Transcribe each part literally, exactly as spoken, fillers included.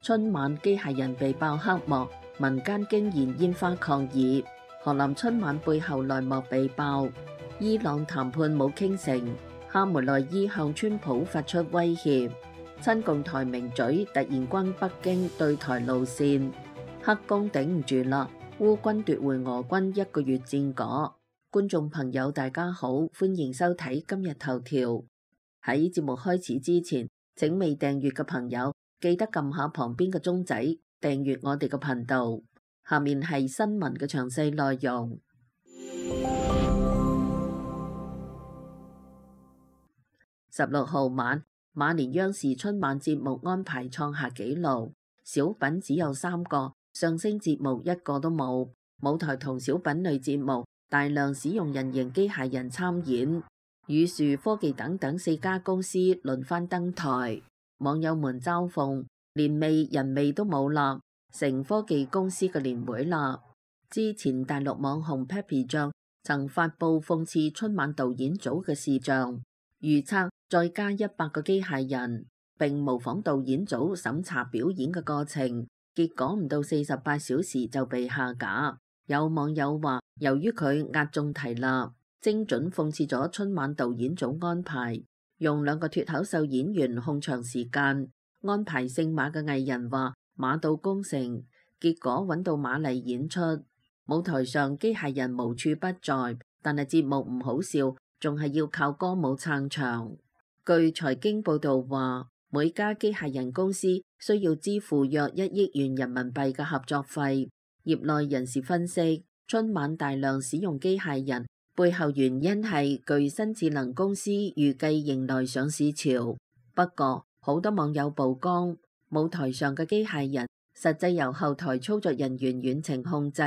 春晚機械人被爆黑幕，民間驚燃煙花抗議。河南春晚背後內幕被爆，伊朗談判冇傾成，哈梅內伊向川普發出威脅。親共台名嘴突然關北京對台路線，黑宮頂唔住啦，烏軍奪回俄軍一個月戰果。觀眾朋友大家好，歡迎收睇今日頭條。喺節目開始之前，請未訂閱嘅朋友記得撳下旁邊嘅鐘仔，訂閱我哋嘅頻道。下面係新聞嘅詳細內容。十六號晚，馬年央視春晚節目安排創下紀錄，小品只有三個，相聲節目一個都冇。舞台同小品類節目大量使用人形機械人參演，宇樹科技等等四家公司輪番登台，網友們嘲諷年味人味都冇啦，成科技公司嘅年會啦。之前大陸網紅 Papi 醬曾發布諷刺春晚導演組嘅視像，預測再加一百個機械人，並模仿導演組審查表演嘅過程，結果唔到四十八小時就被下架。有網友話，由於佢壓中題啦，精準諷刺咗春晚導演組安排，用兩個脫口秀演員控場時間。安排姓馬嘅藝人話馬到功成，結果揾到馬嚟演出。舞台上機械人無處不在，但係節目唔好笑，仲係要靠歌舞撐場。據財經報道話，每家機械人公司需要支付約一億元人民幣嘅合作費。業內人士分析，春晚大量使用機械人背後原因係具新智能公司預計迎來上市潮。不過好多網友曝光，舞台上嘅機械人實際由後台操作人員遠程控制，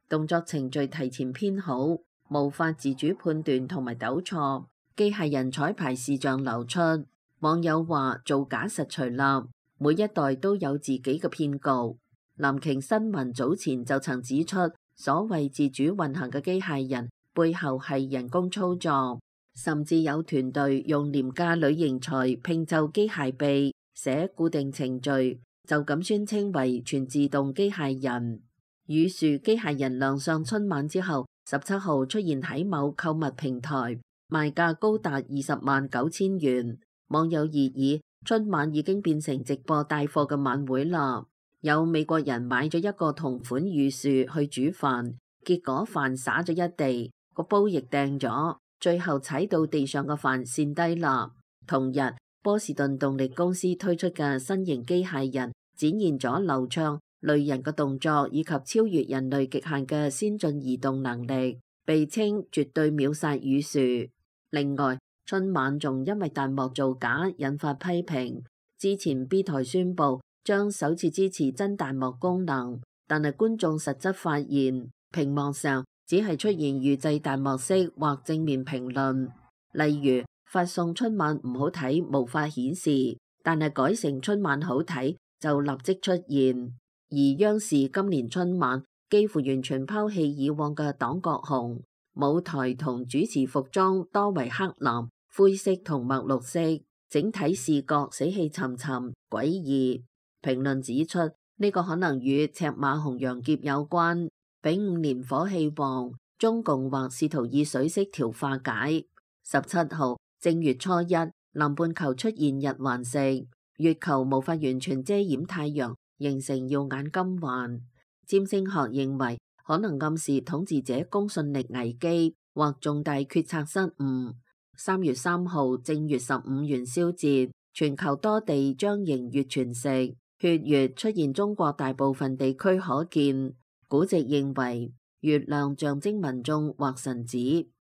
動作程序提前編好，無法自主判斷同埋糾錯。機械人彩排視像流出，網友話造假實錘啦，每一代都有自己嘅騙局。南瓊新聞早前就曾指出，所謂自主運行嘅機械人背後係人工操作，甚至有團隊用廉價女型材拼湊機械臂，寫固定程序，就咁宣稱為全自動機械人。宇樹機械人亮相春晚之後，十七號出現喺某購物平台，賣價高達二十萬九千元。網友熱議，春晚已經變成直播帶貨嘅晚會啦。有美國人買咗一個同款宇樹去煮飯，結果飯灑咗一地，個煲亦掟咗，最後踩到地上嘅飯跣低啦。同日，波士頓動力公司推出嘅新型機械人展現咗流暢類人嘅動作以及超越人類極限嘅先進移動能力，被稱絕對秒殺宇樹。另外，春晚仲因為彈幕造假引發批評。之前 B 台宣布將首次支持真彈幕功能，但係觀眾實質發現屏幕上只係出現預製彈幕式或正面評論，例如發送春晚唔好睇無法顯示，但係改成春晚好睇就立即出現。而央視今年春晚幾乎完全拋棄以往嘅黨國紅，舞台同主持服裝多為黑藍、灰色同墨綠色，整體視覺死氣沉沉、詭異。評論指出，呢、這個可能與赤馬紅羊劫有關。丙午年火氣旺，中共或試圖以水色調化解。十七號正月初一，南半球出現日環食，月球無法完全遮掩太陽，形成耀眼金環。占星學認為可能暗示統治者公信力危機或重大決策失誤。三月三號正月十五元宵節，全球多地將迎月全食。血月出現中國大部分地區可見，古籍認為月亮象徵民眾或神子，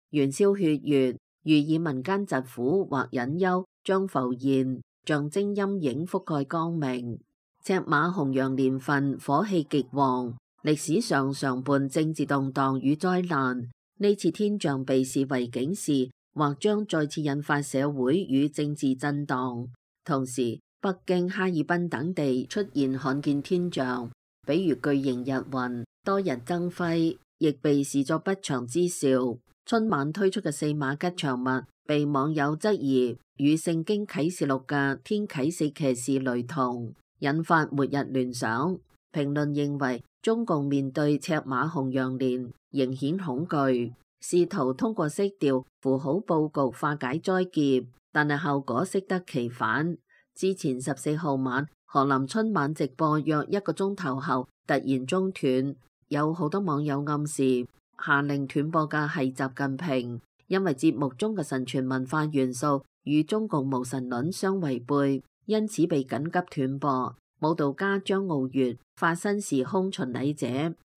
元宵血月寓意民間疾苦或隱憂將浮現，象徵陰影覆蓋光明。赤馬紅羊年份火氣極旺，歷史上常伴政治動盪與災難，呢次天象被視為警示，或將再次引發社會與政治震盪。同時，北京、哈爾濱等地出現罕見天象，比如巨型日暈、多日爭輝，亦被視作不祥之兆。春晚推出嘅四馬吉祥物，被網友質疑與聖經啟示錄嘅天啟四騎士雷同。引發末日聯想。評論認為，中共面對赤馬紅羊年仍顯恐懼，試圖通過色調符號佈局化解災劫，但係效果適得其反。之前十四號晚，賀林春晚直播約一個鐘頭後突然中斷，有好多網友暗示下令斷播嘅係習近平，因為節目中嘅神傳文化元素與中共無神論相違背，因此被緊急斷播。舞蹈家張傲月化身時空巡禮者，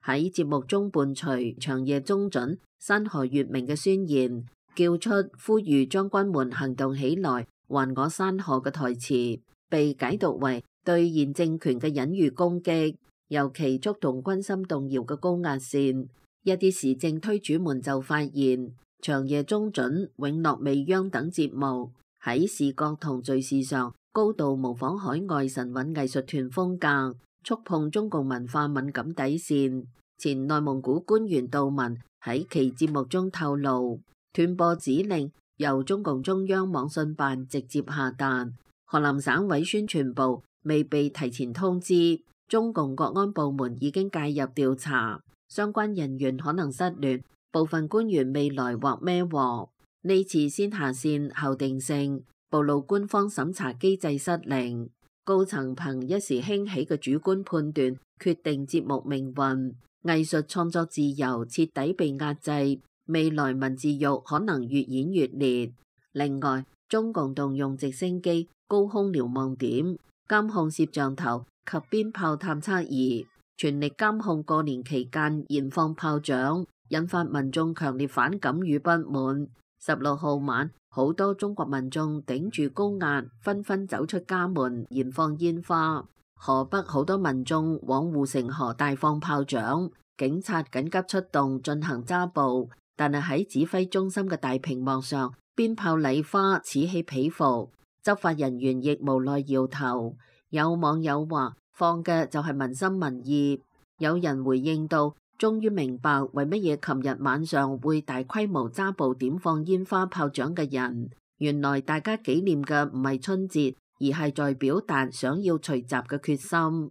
喺節目中伴隨長夜中準、山河月明嘅宣言，叫出呼籲將軍們行動起來，還我山河嘅台詞，被解讀為對現政權嘅隱喻攻擊，尤其觸動軍心動搖嘅高壓線。一啲時政推主們就發現，長夜中準、永樂未央等節目喺視覺同敘事上高度模仿海外神韻藝術團風格，觸碰中共文化敏感底線。前內蒙古官員杜文喺其節目中透露，斷播指令由中共中央網信辦直接下達，河南省委宣傳部未被提前通知，中共國安部門已經介入調查，相關人員可能失聯，部分官員未來或孭鑊。呢次先下線後定性，暴露官方審查機制失靈，高層憑一時興起嘅主觀判斷決定節目命運，藝術創作自由徹底被壓制，未來文字獄可能越演越烈。另外，中共動用直升機、高空瞭望點、監控攝像頭及鞭炮探測儀，全力監控過年期間燃放炮仗，引發民眾強烈反感與不滿。十六號晚，好多中國民眾頂住高壓，紛紛走出家門燃放煙花。河北好多民眾往護城河大放炮仗，警察緊急出動進行抓捕，但係喺指揮中心嘅大屏幕上，鞭炮禮花此起彼伏，執法人員亦無奈搖頭。有網友話放嘅就係民心民意，有人回應到，終於明白為乜嘢琴日晚上會大規模抓捕點放煙花炮仗嘅人，原來大家紀念嘅唔係春節，而係在表達想要除習嘅決心。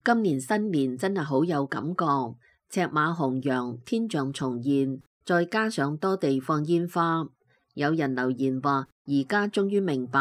今年新年真係好有感覺，赤馬紅羊、天象重現，再加上多地放煙花。有人留言話，而家終於明白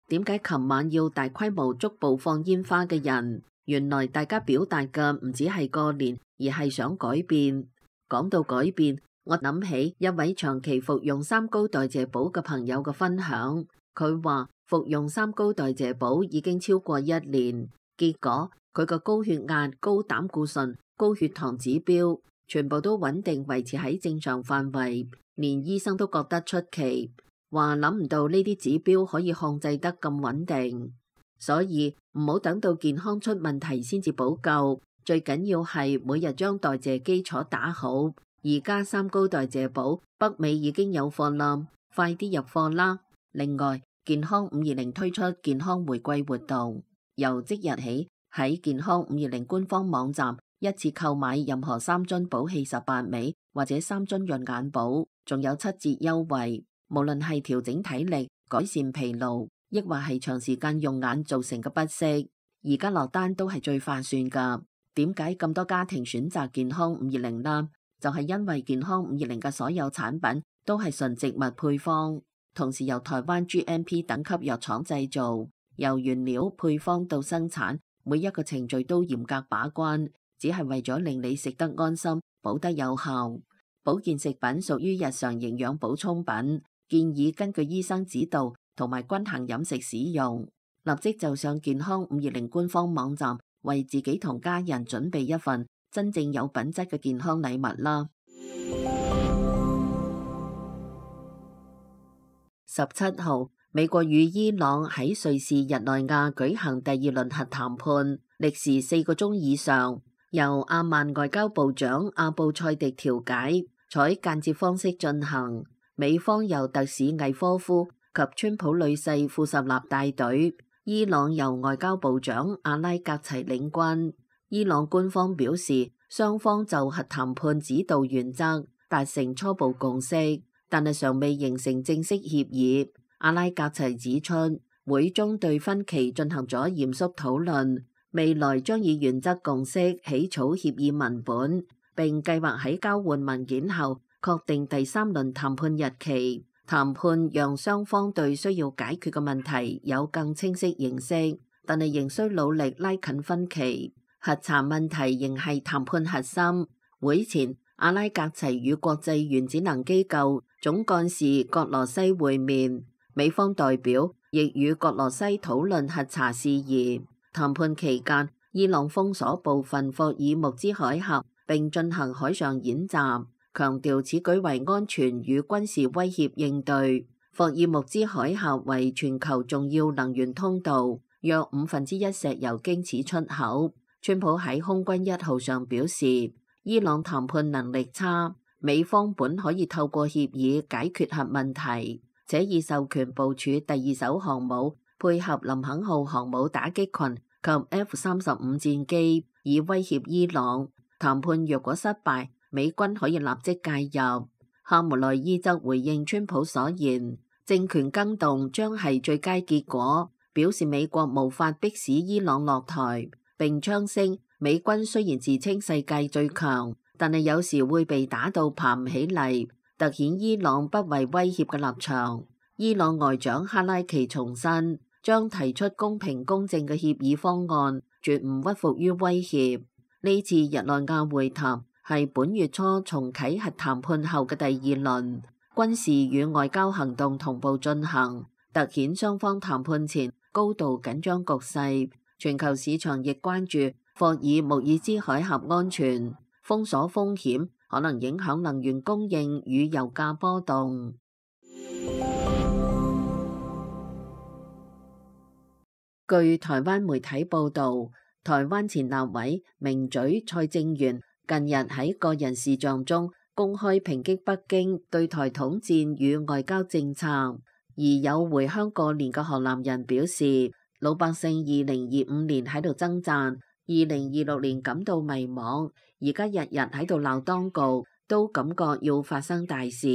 點解琴晚要大規模捉捕放煙花嘅人，原來大家表達嘅唔只係過年，而係想改變。講到改變，我諗起一位長期服用三高代謝寶嘅朋友嘅分享，佢話服用三高代謝寶已經超過一年，結果佢個高血壓、高膽固醇、高血糖指標全部都穩定維持喺正常範圍，連醫生都覺得出奇。話諗唔到呢啲指標可以控制得咁穩定，所以唔好等到健康出問題先至補救，最緊要係每日將代謝基礎打好。而家三高代謝寶北美已經有貨啦，快啲入貨啦！另外，健康五二零推出健康玫瑰活動，由即日起喺健康五二零官方網站一次購買任何三樽寶氣十八味或者三樽潤眼寶，仲有七折優惠。無論係調整體力、改善疲勞，抑或係長時間用眼造成嘅不適，而家落單都係最划算噶。點解咁多家庭選擇健康五二零呢？就係因為健康五二零嘅所有產品都係純植物配方，同時由台灣 G M P 等級藥廠製造，由原料配方到生產，每一個程序都嚴格把關，只係為咗令你食得安心、補得有效。保健食品屬於日常營養補充品，建議根據醫生指導同埋均衡飲食使用。立即就上健康五二零官方網站，為自己同家人準備一份真正有品質嘅健康禮物啦！十七號，美國與伊朗喺瑞士日內瓦舉行第二輪核談判，歷時四個鐘以上，由阿曼外交部長阿布塞迪調解，採間接方式進行。美方由特使魏科夫及川普女婿庫什納帶隊，伊朗由外交部長阿拉格齊領軍。伊朗官方表示，雙方就核談判指導原則達成初步共識，但係尚未形成正式協議。阿拉格齊指出，會中對分歧進行咗嚴肅討論，未來將以原則共識起草協議文本，並計劃喺交換文件後確定第三輪談判日期。談判讓雙方對需要解決嘅問題有更清晰認識，但係仍需努力拉近分歧。核查問題仍係談判核心。會前，阿拉格齊與國際原子能機構總幹事葛羅西會面，美方代表亦與葛羅西討論核查事宜。談判期間，伊朗封鎖部分霍爾木茲海峽並進行海上演習，強調此舉為安全與軍事威脅應對。霍爾木茲海峽為全球重要能源通道，約五分之一石油經此出口。川普喺空軍一號上表示，伊朗談判能力差，美方本可以透過協議解決核問題，且已授權部署第二艘航母，配合林肯號航母打擊群及 F 三十五戰機，以威脅伊朗。談判若果失敗，美軍可以立即介入。哈梅內伊則回應川普所言，政權更動將係最佳結果，表示美國無法迫使伊朗落台，並槍聲美軍雖然自稱世界最強，但係有時會被打到爬唔起嚟，凸顯伊朗不為威脅嘅立場。伊朗外長哈拉奇重申，將提出公平公正嘅協議方案，絕唔屈服於威脅。呢次日內瓦會談係本月初重啟核談判後嘅第二輪，軍事與外交行動同步進行，凸顯雙方談判前高度緊張局勢。全球市場亦關注霍爾木爾茲海峽安全，封鎖風險可能影響能源供應與油價波動。據台灣媒體報導，台灣前立委名嘴蔡正元近日喺個人視像中公開抨擊北京對台統戰與外交政策，而有回鄉過年嘅河南人表示，老百姓二零二五年喺度掙扎，二零二六年感到迷茫，而家日日喺度鬧當局，都感覺要發生大事。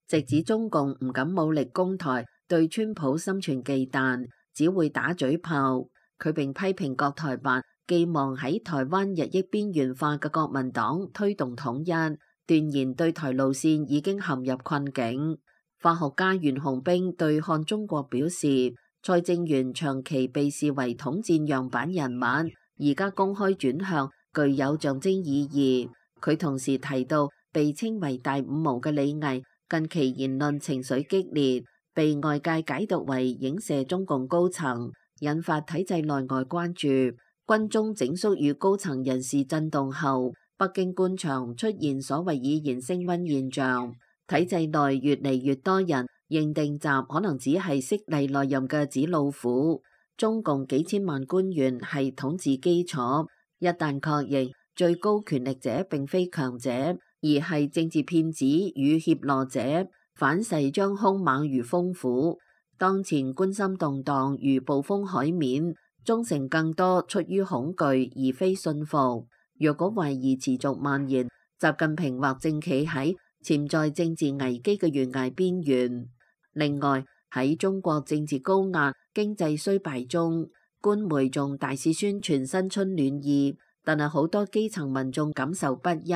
直指中共唔敢武力攻台，對川普心存忌憚，只會打嘴炮。佢並批評國台辦寄望喺台灣日益邊緣化嘅國民黨推動統一，斷言對台路線已經陷入困境。法學家袁紅冰對看中國表示，蔡正元長期被視為統戰樣板人物，而家公開轉向，具有象徵意義。佢同時提到，被稱為大五毛嘅李毅近期言論情緒激烈，被外界解讀為影射中共高層，引發體制內外關注。軍中整肅與高層人事震動後，北京官場出現所謂以言升溫現象，體制內越嚟越多人認定習可能只係悉尼內任嘅紙老虎，中共幾千萬官員係統治基礎，一旦確認最高權力者並非強者，而係政治騙子與脅懦者，反噬將兇猛如風虎。當前軍心動盪如暴風海面，忠誠更多出於恐懼而非信服。若果懷疑持續蔓延，習近平或正企喺潛在政治危機嘅懸崖邊緣。另外，喺中國政治高壓、經濟衰敗中，官媒仲大肆宣傳新春暖意，但係好多基層民眾感受不一。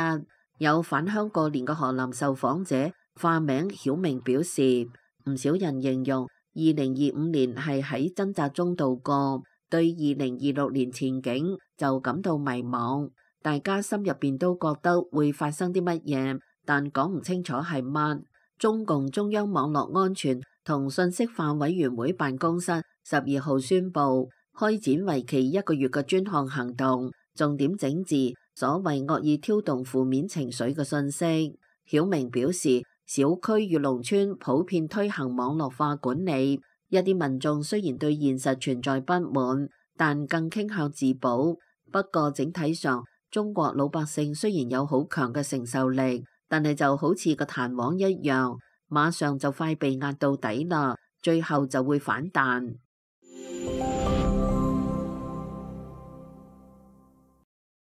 有返鄉過年嘅河南受訪者化名曉明表示，唔少人形容二零二五年係喺掙扎中度過，對二零二六年前景就感到迷茫。大家心入邊都覺得會發生啲乜嘢，但講唔清楚係乜。中共中央網絡安全同信息化委員會辦公室十二號宣布，開展為期一個月嘅專項行動，重點整治所謂惡意挑動負面情緒嘅信息。曉明表示，小區與農村普遍推行網絡化管理，一啲民眾雖然對現實存在不滿，但更傾向自保。不過整體上，中國老百姓雖然有好強嘅承受力，但係就好似個彈簧一樣，馬上就快被壓到底啦，最後就會反彈。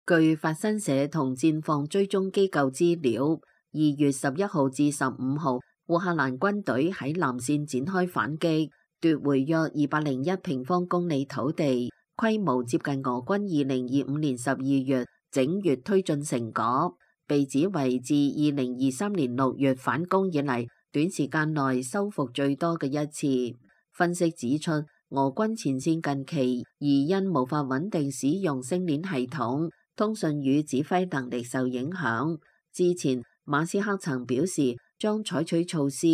據法新社同戰況追蹤機構資料，二月十一號至十五號，烏克蘭軍隊喺南線展開反擊，奪回約二百零一平方公里土地，規模接近俄軍二零二五年十二月整月推進成果，被指為自二零二三年六月反攻以嚟短時間內收復最多嘅一次。分析指出，俄軍前線近期而因無法穩定使用星鏈系統，通訊與指揮能力受影響。之前馬斯克曾表示將採取措施，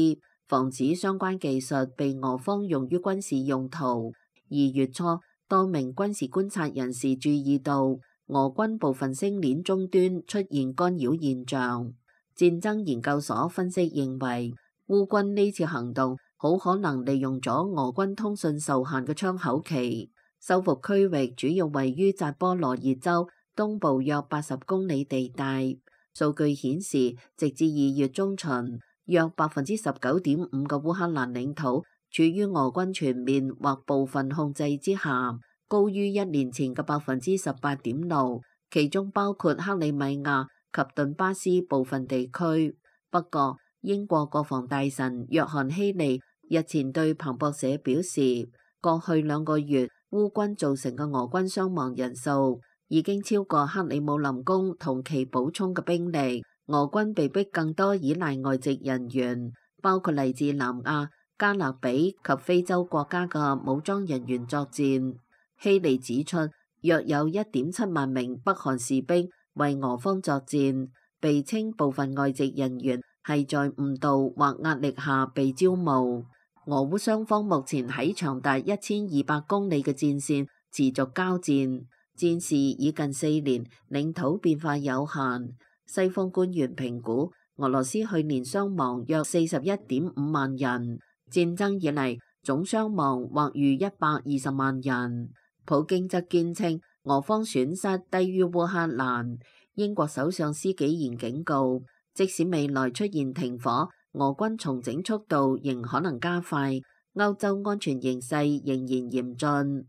防止相關技術被俄方用於軍事用途。二月初，多名軍事觀察人士注意到俄軍部分星鏈終端出現干擾現象。戰爭研究所分析認為，烏軍呢次行動好可能利用咗俄軍通訊受限嘅窗口期。收復區域主要位於扎波羅熱州東部約八十公里地帶。數據顯示，直至二月中旬，約百分之十九點五嘅烏克蘭領土處於俄軍全面或部分控制之下，高於一年前嘅百分之十八點六，其中包括克里米亞及頓巴斯部分地區。不過，英國國防大臣約翰希利日前對彭博社表示，過去兩個月烏軍造成嘅俄軍傷亡人數已經超過克里姆林宮同其補充嘅兵力，俄軍被迫更多依賴外籍人員，包括嚟自南亞、加勒比及非洲國家嘅武裝人員作戰。希利指出，約有一點七萬名北韓士兵為俄方作戰，被稱部分外籍人員係在誤導或壓力下被招募。俄烏雙方目前喺長達一千二百公里嘅戰線持續交戰，戰事已近四年，領土變化有限。西方官員評估，俄羅斯去年傷亡約四十一點五萬人，戰爭以嚟總傷亡或逾一百二十萬人。普京則堅稱俄方損失低於烏克蘭。英國首相施紀賢警告，即使未來出現停火，俄軍重整速度仍可能加快。歐洲安全形勢仍然嚴峻。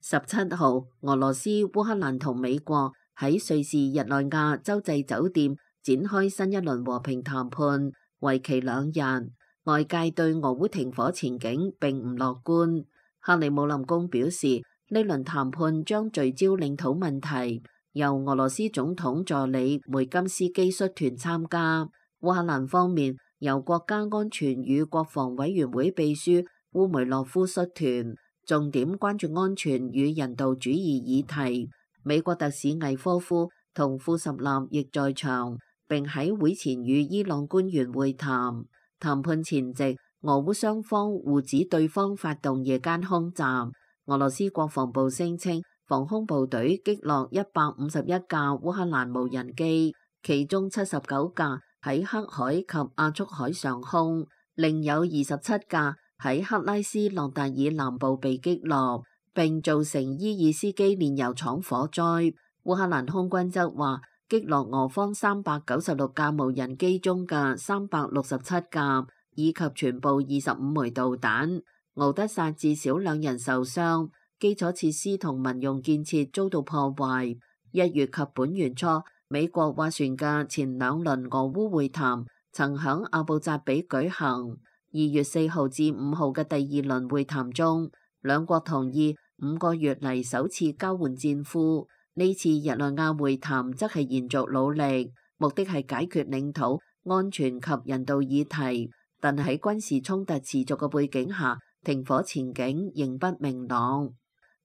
十七號，俄羅斯、烏克蘭同美國喺瑞士日內瓦洲際酒店展開新一輪和平談判，為期兩日。外界對俄烏停火前景並唔樂觀。克里姆林宮表示，呢輪談判將聚焦領土問題，由俄羅斯總統助理梅金斯基率團參加。烏克蘭方面由國家安全與國防委員會秘書烏梅洛夫率團，重點關注安全與人道主義議題。美國特使魏科夫同庫什納亦在場，並喺會前與伊朗官員會談。談判前夕，俄烏雙方互指對方發動夜間空襲。俄羅斯國防部聲稱，防空部隊擊落一百五十一架烏克蘭無人機，其中七十九架喺黑海及亞速海上空，另有二十七架喺克拉斯諾達爾南部被擊落，並造成伊爾斯基煉油廠火災。烏克蘭空軍則話，擊落俄方三百九十六架無人機中嘅三百六十七架，以及全部二十五枚導彈。敖德薩至少兩人受傷，基礎設施同民用建設遭到破壞。一月及本月初，美國斡旋嘅前兩輪俄烏會談曾響阿布扎比舉行。二月四號至五號嘅第二輪會談中，兩國同意五個月嚟首次交換戰俘。呢次日內瓦會談則係延續努力，目的係解決領土安全及人道議題，但喺軍事衝突持續嘅背景下，停火前景仍不明朗。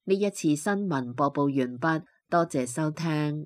呢一次新聞播報完畢，多謝收聽。